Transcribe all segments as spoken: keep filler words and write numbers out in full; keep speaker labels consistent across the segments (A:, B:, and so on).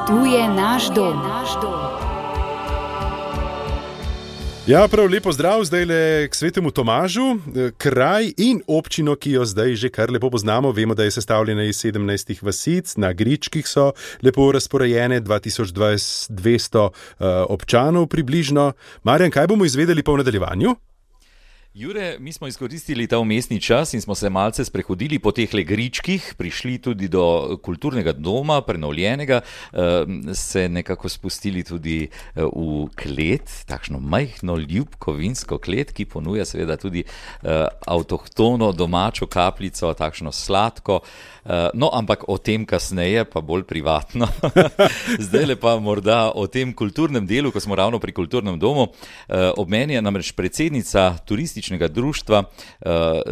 A: Tu je naš dom.
B: Ja, prav lepo zdrav zdaj le k Svetemu Tomažu, kraj in občino, ki jo zdaj že kar lepo poznamo. Vemo, da je sestavljena iz sedemnajstih vasic, na gričkih so lepo razporejene, dva tisoč dvesto uh, občanov približno. Marjan, kaj bomo izvedeli pa v nadaljevanju?
C: Jure, mi smo izkoristili ta vmesni čas in smo se malce sprehodili po teh gričkih, prišli tudi do kulturnega doma, prenovljenega, se nekako spustili tudi v klet, takšno majhno, ljubko vinsko klet, ki ponuja seveda tudi avtohtono domačo kapljico, takšno sladko. No, ampak o tem kasneje, pa bolj privatno. Zdaj pa morda o tem kulturnem delu, ko smo ravno pri kulturnem domu. Ob meni je namreč predsednica turističnega društva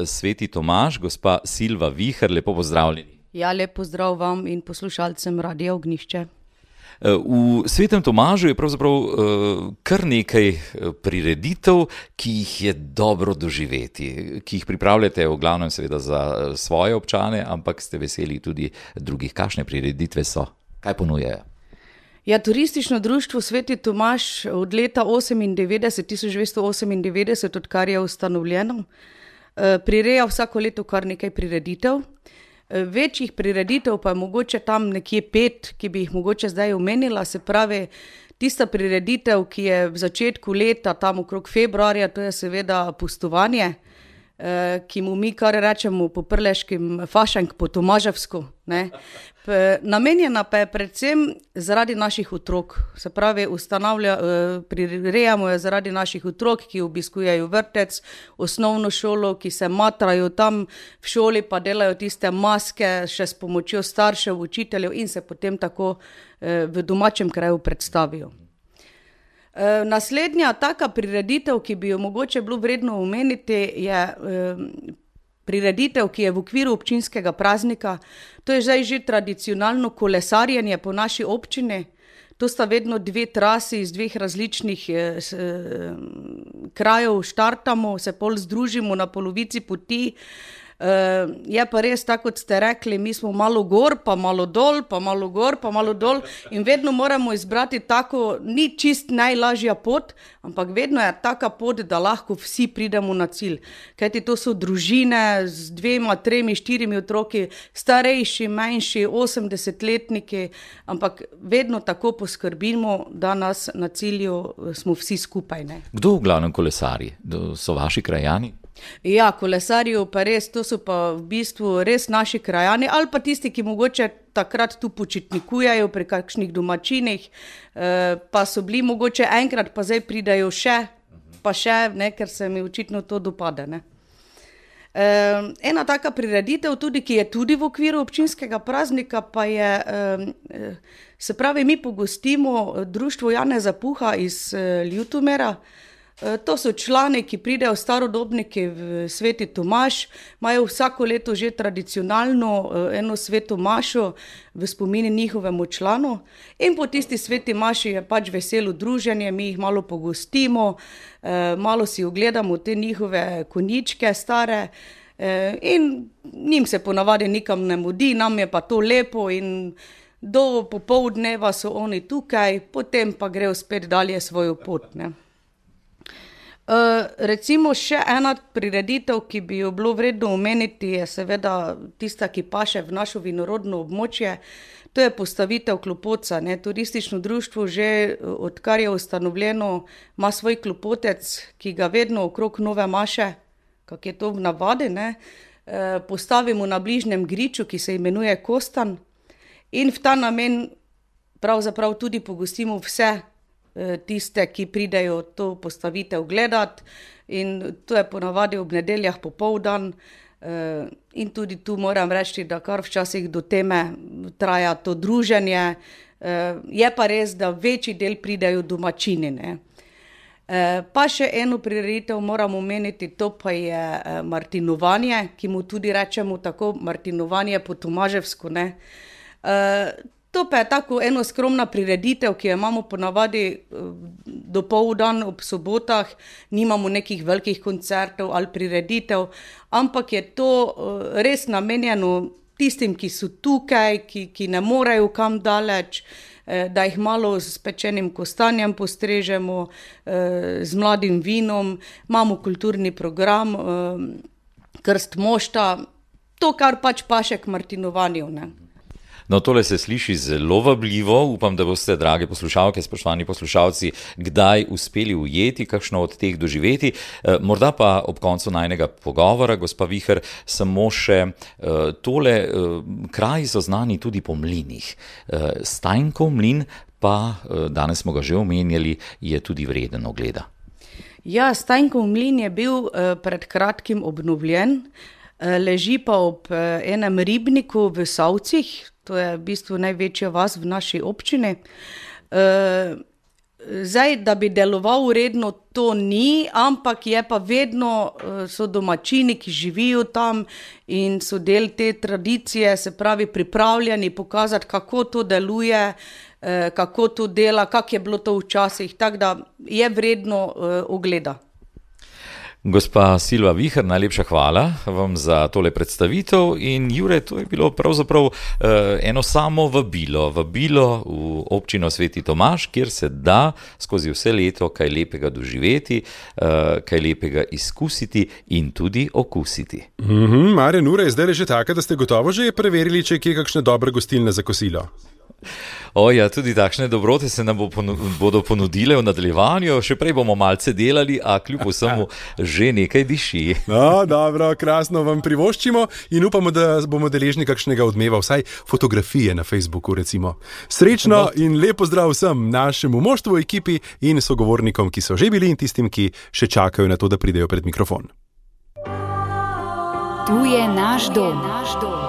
C: Sveti Tomaž, gospa Silva Viher. Lepo pozdravljeni.
D: Ja, lep pozdrav vam in poslušalcem Radia Ognjišče.
C: V Svetem Tomažu je pravzaprav kar nekaj prireditev, ki jih je dobro doživeti, ki jih pripravljate v glavnem seveda za svoje občane, ampak ste veseli tudi drugih. Kakšne prireditve so? Kaj ponujajo?
D: Ja, turistično društvo Sveti Tomaž od leta tisoč devetsto osemindevetdeset, odkar je ustanovljeno, prireja vsako leto kar nekaj prireditev. Večjih prireditev pa je mogoče tam nekje pet, ki bi jih mogoče zdaj omenila, se pravi tista prireditev, ki je v začetku leta, tam okrog februarja, to je seveda pustovanje, ki mu mi kar rečemo po prleškim fašank po tomaževsko, ne. Namenjena pa je predvsem zaradi naših otrok, se pravi ustanavlja, prirejamo jo zaradi naših otrok, ki obiskujejo vrtec, osnovno šolo, ki se matrajo tam v šoli, pa delajo tiste maske še s pomočjo staršev, učiteljev in se potem tako v domačem kraju predstavijo. Naslednja taka prireditev, ki bi jo mogoče bilo vredno omeniti, je prireditev, ki je v okviru občinskega praznika. To je zdaj že tradicionalno kolesarjenje po naši občini. To sta vedno dve trasi iz dveh različnih eh, krajev, štartamo, se pol združimo na polovici poti. Uh, je pa res, tako kot ste rekli, mi smo malo gor, pa malo dol, pa malo gor, pa malo dol in vedno moramo izbrati tako, ni čist najlažja pot, ampak vedno je taka pot, da lahko vsi pridemo na cilj. Kajti to so družine z dvema, tremi, štirimi otroki, starejši, manjši, osemdesetletniki, ampak vedno tako poskrbimo, da nas na cilju smo vsi skupaj, ne.
C: Kdo v glavnem kolesari? So vaši krajani?
D: Ja, kolesarji pa res, to so pa v bistvu res naši krajani ali pa tisti, ki mogoče takrat tu počitnikujejo pri kakšnih domačinih, pa so bili mogoče enkrat, pa zdaj pridajo še, pa še, ne, ker se mi očitno to dopade, ne. Ena taka prireditev tudi, ki je tudi v okviru občinskega praznika, pa je, se pravi, mi pogostimo društvo Janeza Puha iz Ljutomera. To so člani, ki pridejo, starodobniki v Sveti Tomaž, imajo vsako leto že tradicionalno eno sveto mašo v spomini njihovemu članu in po tisti sveti maši je pač veselo druženje, mi jih malo pogostimo, malo si ogledamo te njihove konjičke stare in njim se ponavadi nikam ne mudi, nam je pa to lepo in do popoldneva so oni tukaj, potem pa grejo spet dalje svojo pot, ne. Uh, recimo še ena prireditev, ki bi jo bilo vredno omeniti, je seveda tista, ki paše v našo vinorodno območje, to je postavitev klopotca, ne. Turistično društvo že, odkar je ustanovljeno, ima svoj klopotec, ki ga vedno okrog nove maše, kak je to v navadi, ne, uh, postavimo na bližnjem griču, ki se imenuje Kostan in v ta namen pravzaprav tudi pogostimo vse tiste, ki pridejo to postavitev gledati in to je ponavadi ob nedeljah popoldan in tudi tu moram reči, da kar včasih do teme traja to druženje, je pa res, da večji del pridejo domačini, ne. Pa še eno prireditev moram omeniti, to pa je martinovanje, ki mu tudi rečemo tako martinovanje po tomaževsko, ne. To pa je tako eno skromna prireditev, ki jo imamo ponavadi dopoldan ob sobotah, nimamo nekih velikih koncertov ali prireditev, ampak je to res namenjeno tistim, ki so tukaj, ki, ki ne morejo kam daleč, da jih malo s pečenim kostanjem postrežemo, z mladim vinom, imamo kulturni program, krst mošta, to, kar pač paše k martinovanju, ne.
C: No, tole se sliši zelo vabljivo. Upam, da boste, drage poslušalke, spoštovani poslušalci, kdaj uspeli ujeti kakšno od teh doživeti. Morda pa ob koncu najnega pogovora, gospa Viher, samo še tole, kraji so znani tudi po mlinih. Steinkov mlin pa, danes smo ga že omenjali, je tudi vreden ogleda.
D: Ja, Steinkov mlin je bil pred kratkim obnovljen, leži pa ob enem ribniku v Savcih. To je v bistvu največja vas v naši občini. Zdaj, da bi deloval uredno, to ni, ampak je pa vedno, so domačini, ki živijo tam in so del te tradicije, se pravi pripravljeni pokazati, kako to deluje, kako to dela, kako je bilo to včasih, tako da je vredno ogleda.
C: Gospa Silva Viher, najlepša hvala vam za tole predstavitev in Jure, to je bilo pravzaprav uh, eno samo vabilo, vabilo v občino Sveti Tomaž, kjer se da skozi vse leto kaj lepega doživeti, uh, kaj lepega izkusiti in tudi okusiti.
B: Mm-hmm, Marjan, ura je zdaj že taka, da ste gotovo že preverili, če je kje kakšne dobre gostilne za kosilo.
C: O ja, tudi takšne dobrote se nam bo ponu- bodo ponudile v nadaljevanju, še prej bomo malce delali, a kljub vsemu že nekaj diši.
B: No, dobro, krasno vam privoščimo in upamo, da bomo deležni kakšnega odmeva, vsaj fotografije na Facebooku recimo. Srečno in lep pozdrav vsem našemu moštvu, ekipi in sogovornikom, ki so že bili in tistim, ki še čakajo na to, da pridejo pred mikrofon.
A: Tu je naš dom. Naš dom.